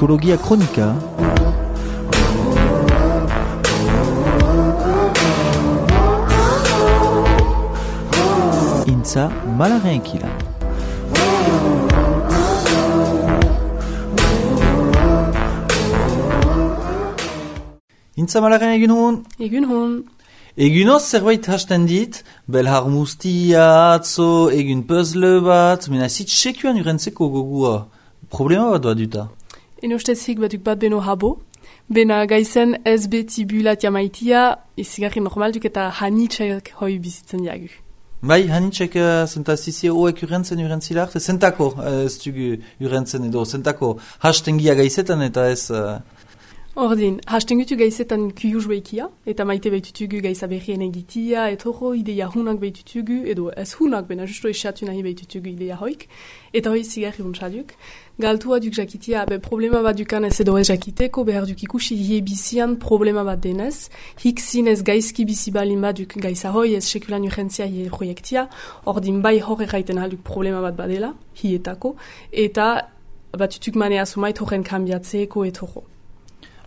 Psikologia Kronika. Intza Malaren Ekila. Intza Malaren egin hon? Egun hon. Egunoz zerbait hasten dit, belhar mustia, atzo, egun puzzle bat, mena zit sekuan urentzeko gogua. Problema bat doa duta. En ustez batuk bat beno habo. Bena gaizen ez beti bulat jamaitia, izigarri normal duk eta hanitxek hoi bizitzen jagu. Bai, hanitxek zentazizia hoek urentzila arte, zentako ez dugu urentzen edo, zentako hastengia gaizetan eta ez... Ordin, hastengutu gaizetan kuyuz behikia, eta maite behitutugu gaiza berrien egitia, etoro ideia hunak behitutugu, edo ez hunak, bena justo esatu nahi behitutugu ideia hoik, eta hoi zigarri untsaduk. Galtua duk jakitia, problema bat dukan ez edo ez jakiteko, behar duk ikusi hie bizian problema bat denez, hik zinez gaizki bizi balin bat duk gaiza hoi ez sekulan urgentzia hie proiektia, ordin bai hor erraiten alduk problema bat badela, hietako, eta batutuk manea sumait horren kambiatzeko etoro.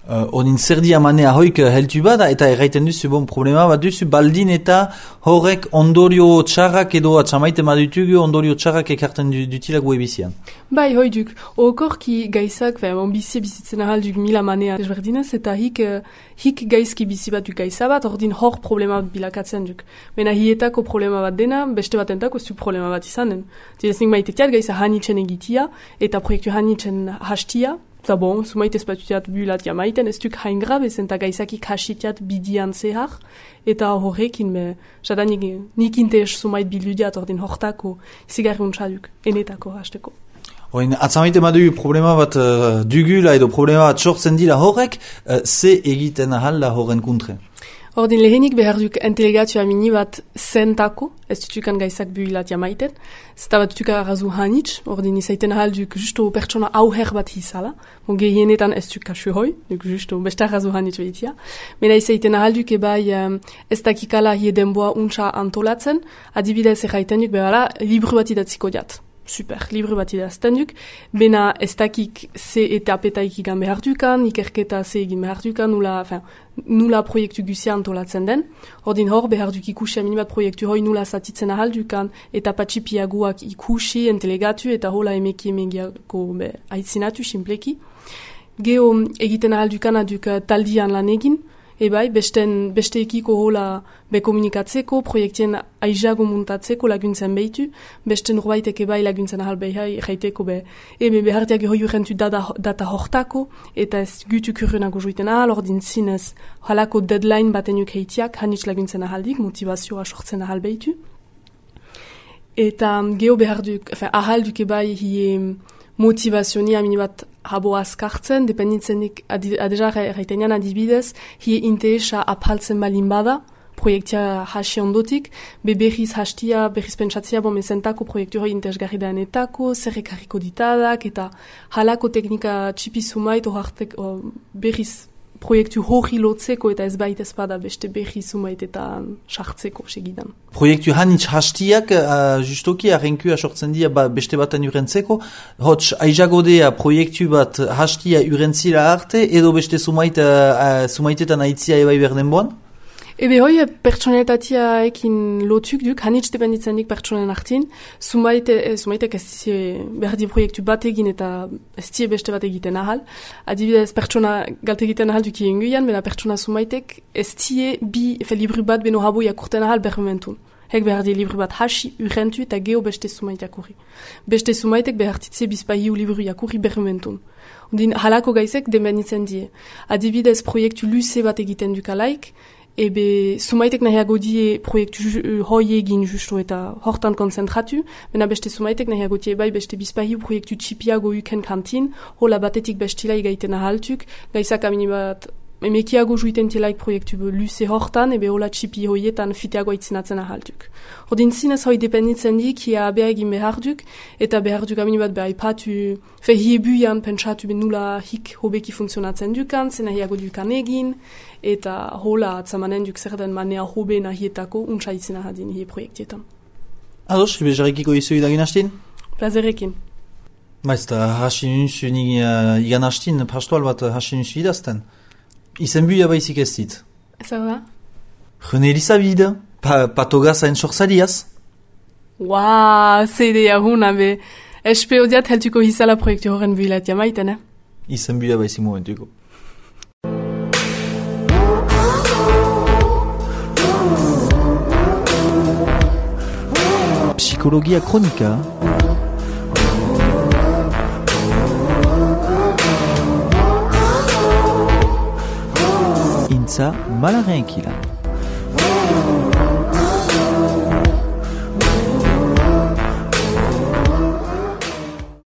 Onin zerdia manea hoik heltu bada eta erraiten duzu problema bat duzu baldin eta horrek ondorio txarrak edo atxamaite madutugu ondorio txarrak ekarten dutila gue bizian. Bai, hoi duk, okorki gaizak, bizitzen ahal duk mila manea desberdinez eta hik gaizki bizi bat duk gaiza bat, ordin hor problema bat bilakatzen duk. Bena hietako problema bat dena, beste bat entako ez du problema bat izanen. Direznik maitetiat gaiza hanitzen egitia eta proiektu hanitzen hastia, eta bon, sumait ez batutiat bulat jamaiten, ez duk hain grabe zen, eta gaizakik hasitiat bidian zehar, eta horrekin, jada nik intees sumait biludiat ordin hortako zigarri untsaduk, enetako hasteko. Oin, atzamaite madu problema bat dugula edo problema bat sortzen dira horrek, ze egiten ahal da horren kontre? Ordin lehenik behar duk entelegatua mini bat zentako, ez dutukan gaizak builat jamaiten, zeta bat dutuka arrazu hanitz, ordin izaiten ahal duk justo pertsona auher bat hizala, gehienetan ez duk kasu hoi, duk justo beste arrazu hanitz behitia, mena izaiten ahal duk ebai ez dakikala hie denboa untsa antolatzen, adibidez erraiten duk behara libru bat idatziko diat. Super, libru bat idazten duk, bena ez dakik ze etapetaik ikan behar dukan, ikerketa ze egin behar dukan, nula proiektu guzia antolatzen den. Ordin hor behar duk ikusi aminibat proiektu hoi nula zatitzen ahal dukan, eta patxipiaguak ikusi, entelegatu, eta hola emegiako aitzinatu, simpleki. Geo egiten ahal dukan aduk taldian lan egin, ebai, beste ekiko hola komunikatzeko, proiektien aizago muntatzeko laguntzen behitu, beste norbaitek ebai laguntzen ahal behai, jaiteko behartiak hoi urrentu data hortako, eta ez gutu kurrenago joiten ahal, ordin zinez halako deadline batenuk heitiak, hanitz laguntzen ahaldik, motivazioa sortzen ahal behitu. Eta geho ahal duk ebai hie motivazionia minibat habo azkartzen, dependitzenik adeja erraitenean adibidez, hie interesa apaltzen balin bada, proiektia hasi ondotik, berriz hastia, berriz pentsatzia zentako proiektu hoi interesgarri daenetako, zer ekarriko ditadak, eta halako teknika txipizumait berriz proiektu hori lotzeko eta ez baita espada beste berri sumait eta sartzeko segidan. Proiektu hanitz hastiak justoki arrenkua sortzen dira beste baten urentzeko, hots aizagodea proiektu bat hastia urentzila arte edo beste sumaitetan aitzia ebai berdenboan? Ebe hoi pertsonetatia ekin lotuk duk, hanitz dependitzenik pertsonen artin, sumaitek ez behar di proiektu bat egin eta ez die beste bat egiten ahal. Adibidez pertsona galt egiten ahal duki inguian, bena pertsona sumaitek ez die libru bat beno habo jakurten ahal bermentun. Hek behar di libru bat hasi urrentu eta geho beste sumait jakurri. Beste sumaitek behar ditze bizpahiu libru jakurri bermentun. Ondin halako gaizek demenditzen die. Adibidez proiektu luze bat egiten dukalaik, ebe sumaitek nahiago die proiektu hoi egin justo eta hortan konzentratu, bena beste sumaitek nahiago die bai beste bizpahiu proiektu txipiago uken kantin, hola batetik bestila igaiten ahaltuk, gaizak aminibat emekiago juiten tielaik proiektu luze hortan, ebe hola txipi hoietan fiteago aitzinatzen ahaltuk. Ordin zinez hoi dependitzen dik, hia abea egin behar duk, eta behar duk aminibat behar ipatu, hiebuian pentsatu nula hik hobeki funtzionatzen dukan, zena hiago dukan egin, eta hola atzamanen duk zer den manea hobe nahietako untsa itzena hadin hie proiektietan. Ados, bezarekiko izu idagin hastin? Plazerekin. Maizta, hasi nuzu ni igan hastin pastoal bat hasi nuzu idazten. Izen buia baizik ez dit. Ça va? René Elisabide, patogaz hain sorzaliaz. Waa, ze ideia huna be. Espeo diat heltuko hizala proiektu horren builat jamaiten, eh? Izen buia baizik momentuko. Psikologia kronika. Intza malaren ekilan.